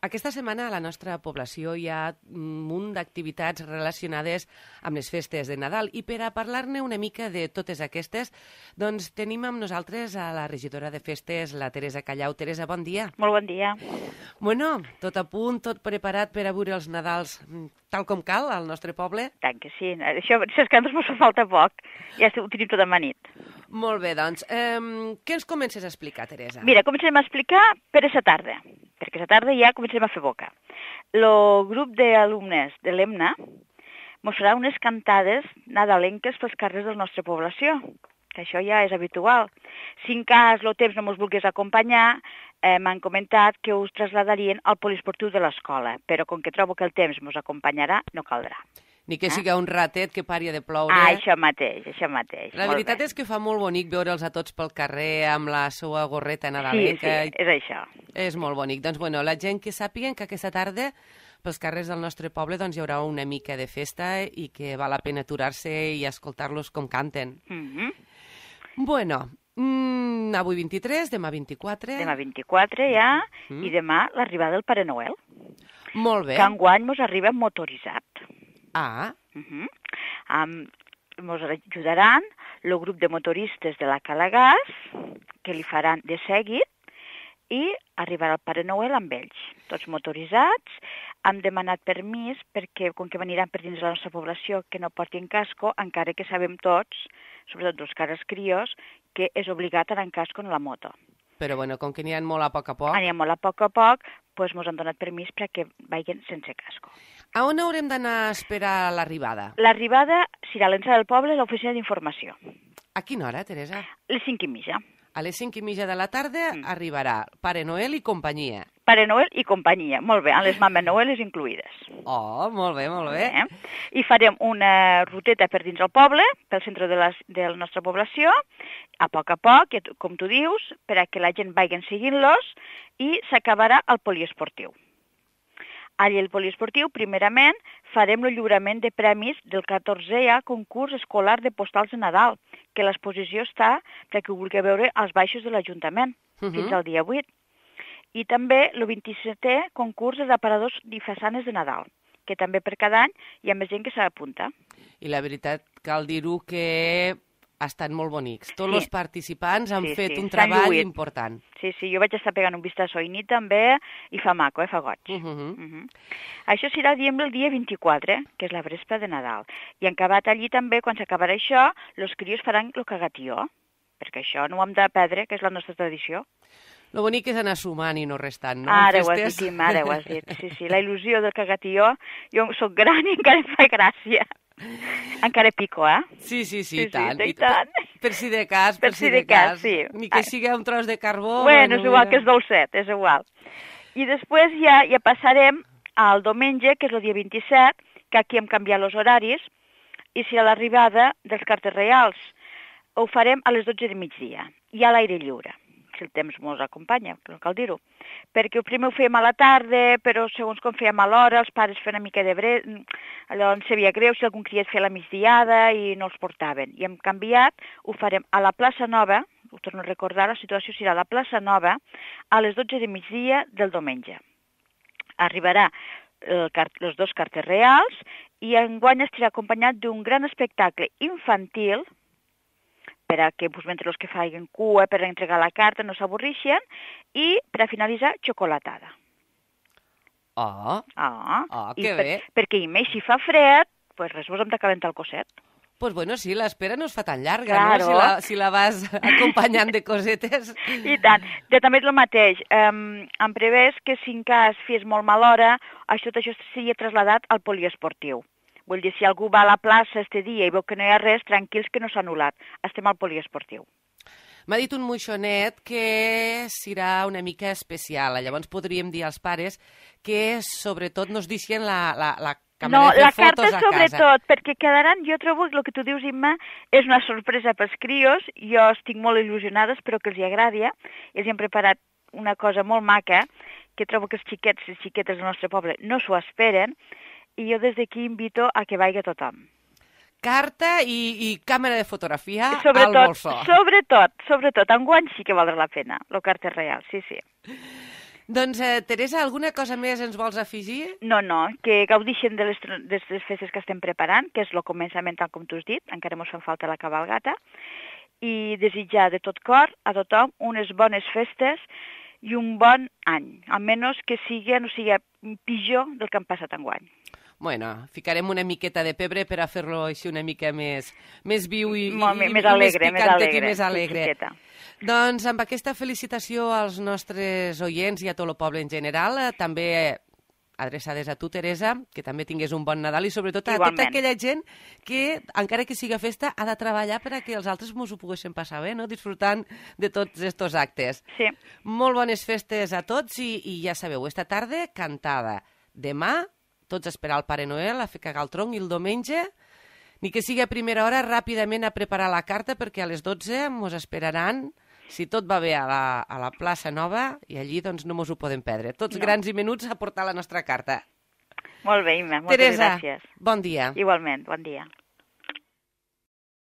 Aquesta setmana a la nostra població hi ha un munt d'activitats relacionades amb les festes de Nadal i per a parlar-ne una mica de totes aquestes, doncs tenim amb nosaltres a la regidora de festes, la Teresa Callau. Teresa, bon dia. Molt bon dia. Bueno, tot a punt, tot preparat per a veure els Nadals tal com cal al nostre poble? Tant que sí. Això, si és que ens fa falta poc. Ja ho tenim tot amanit. Molt bé, doncs, què ens comences a explicar, Teresa? Mira, comencem a explicar per aquesta tarda, perquè aquesta tarda ja comencem a fer boca. El grup d'alumnes de l'EMNA mos farà unes cantades nadalenques pels carrers de la nostra població, que això ja és habitual. Si en cas el temps no mos volgués acompanyar, m'han comentat que us traslladarien al poliesportiu de l'escola, però com que trobo que el temps mos acompanyarà, no caldrà. Ni que siga un ratet que pari de ploure. Això mateix, això mateix. La veritat és que fa molt bonic veure'ls a tots pel carrer amb la seva gorreta nadalenca. Sí, és això. És molt bonic. Doncs, bueno, la gent que sàpiguen que aquesta tarda pels carrers del nostre poble doncs, hi haurà una mica de festa i que val la pena aturar-se i escoltar-los com canten. Bueno, avui 23, demà 24. Demà 24 ja, i demà l'arribada del Pare Noel. Molt bé. Que enguany mos arriba motoritzat. Ah. Mos ajudaran el grup de motoristes de la Calagàs, que li faran de seguit, i arribarà el Pare Noel amb ells, tots motoritzats. Hem demanat permís perquè, com que veniran per dins de la nostra població, que no portin casco, encara que sabem tots, sobretot els cares crios, que és obligat anar en casco en la moto. Però, bueno, com que n'hi ha molt a poc, Anirem molt a poc, doncs mos han donat permís perquè vagin sense casco. A on haurem d'anar a esperar l'arribada? L'arribada serà a l'entrada del poble, a l'oficina d'informació. A quina hora, Teresa? A les 5:30. A les 5:30 de la tarda arribarà Pare Noel i companyia. Pare Noel i companyia, molt bé, amb les Mames Noeles incluïdes. Oh, molt bé, molt bé. I farem una ruteta per dins el poble, pel centre de la nostra població, a poc, com tu dius, per a que la gent vagi seguint-los, i s'acabarà al poliesportiu. Allà al poliesportiu, primerament, farem el lliurament de premis del 14è concurs escolar de postals de Nadal, que l'exposició està perquè ho vulgui veure als baixos de l'Ajuntament, fins al dia 8. I també el 27è concurs de aparadors i façanes de Nadal, que també per cada any hi ha més gent que s'apunta. I la veritat, cal dir-ho que ha estat molt bonics. Tots els participants han fet un treball important. Sí, jo vaig estar pegant un vistazo a nit també, i fa maco, fa goig. Això serà, diem, el dia 24, que és la vespra de Nadal. I en acabat allí també, quan s'acabarà això, els crios faran el cagatió, perquè això no ho hem de perdre, que és la nostra tradició. Lo bonic és anar sumant i no restant, no? Ara ho has dit, ara ho has dit. Sí, la il·lusió del cagatió, jo soc gran i encara em fa gràcia. Encara pico, Sí, tant. I tant. Per si de cas, sí. Ni que sigui un tros de carbó. Bueno, és igual que és dolcet, és igual. I després ja passarem al diumenge, que és el dia 27, que aquí hem canviat els horaris, i serà l'arribada dels cartes reals. Ho farem a les 12 de migdia, i a l'aire lliure, si el temps mos acompanya, no cal dir-ho. Perquè el primer ho fèiem a la tarda, però segons com fèiem a l'hora, els pares feien una mica de allò ens sabia greu si algun criat feia la migdiada i no els portaven. I hem canviat, ho farem a la plaça Nova, ho torno a recordar, la situació serà a la plaça Nova a les 12 de migdia del diumenge. Arribarà els dos cartes reals i enguany estarà acompanyat d'un gran espectacle infantil per a que mentre els que facin cua per entregar la carta no s'avorreixen, i per a finalitzar, xocolatada. Que bé. Perquè més si fa fred, doncs res, vos hem de calentar el cosset. Doncs bueno, sí, l'espera no es fa tan llarga, no? Si la vas acompanyant de cosetes. I tant. Jo també és el mateix. Em prevés que si en cas fes molt mala hora, tot això seria traslladat al poliesportiu. Vull dir, si algú va a la plaça este dia i veu que no hi ha res, tranquils que no s'ha anul·lat. Estem al poliesportiu. M'ha dit un moixonet que serà una mica especial. Llavors podríem dir als pares que sobretot nos deixen la càmera de fer fotos a casa. No, la carta sobretot, perquè quedaran, jo trobo que el que tu dius, Imma, és una sorpresa pels crios. Jo estic molt il·lusionada, espero que els agradi. Ells han preparat una cosa molt maca, que trobo que els xiquets i xiquetes del nostre poble no s'ho esperen, i jo des d'aquí invito a que vagi tothom. Carta i càmera de fotografia al bolsó. Sobretot. Enguany sí que valdrà la pena, el carta real, sí. Doncs, Teresa, alguna cosa més ens vols afegir? No, que gaudixen de les festes que estem preparant, que és el començament, tal com tu has dit, encara mos fan falta la cabalgata, i desitjar de tot cor a tothom unes bones festes i un bon any, almenys que no sigui pitjor del que han passat enguany. Bueno, ficarem una miqueta de pebre per a fer-lo així una mica més viu i més alegre, més alegre. Doncs amb aquesta felicitació als nostres oients i a tot el poble en general, també adreçades a tu, Teresa, que també tingués un bon Nadal i sobretot a tota aquella gent que, encara que siga festa, ha de treballar per a que els altres mos ho poguessin passar bé, no? Disfrutant de tots estos actes. Sí. Molt bones festes a tots i ja sabeu, esta tarda cantada. Demà, tots a esperar el Pare Noel, a fer cagar el tronc, i el diumenge, ni que sigui a primera hora, ràpidament a preparar la carta perquè a les 12 mos esperaran, si tot va bé, a la plaça Nova, i allí doncs no mos ho podem perdre. Tots grans i menuts a portar la nostra carta. Molt bé, Imma, moltes gràcies. Teresa, bon dia. Igualment, bon dia.